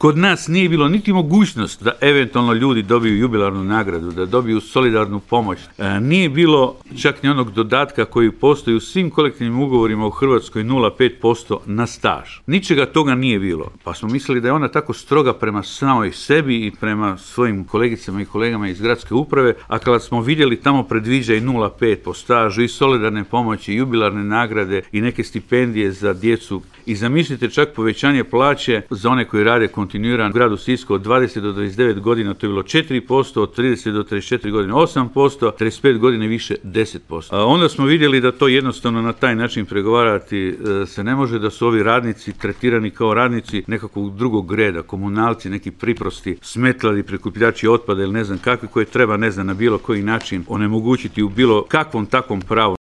Kod nas nije bilo niti mogućnost da eventualno ljudi dobiju jubilarnu nagradu, da dobiju solidarnu pomoć. Nije bilo čak ni onog dodatka koji postoji u svim kolektivnim ugovorima u Hrvatskoj 0,5% na staž. Ničega toga nije bilo. Pa smo mislili da je ona tako stroga prema samoj sebi i prema svojim kolegicama i kolegama iz gradske uprave, a kada smo vidjeli tamo predviđa i 0,5 po stažu i solidarne pomoći, jubilarne nagrade i neke stipendije za djecu. I zamislite čak povećanje plaće za one koji rade kontinuirano u gradu Sisku od 20 do 29 godina, to je bilo 4%, od 30 do 34 godine 8%, 35 godine više 10%. A onda smo vidjeli da to jednostavno na taj način pregovarati se ne može, da su ovi radnici tretirani kao radnici nekakvog drugog reda, komunalci, neki priprosti, smetlari, prikupljači otpada ili ne znam kakvi, koje treba, ne znam, na bilo koji način onemogućiti u bilo kakvom takvom pravu.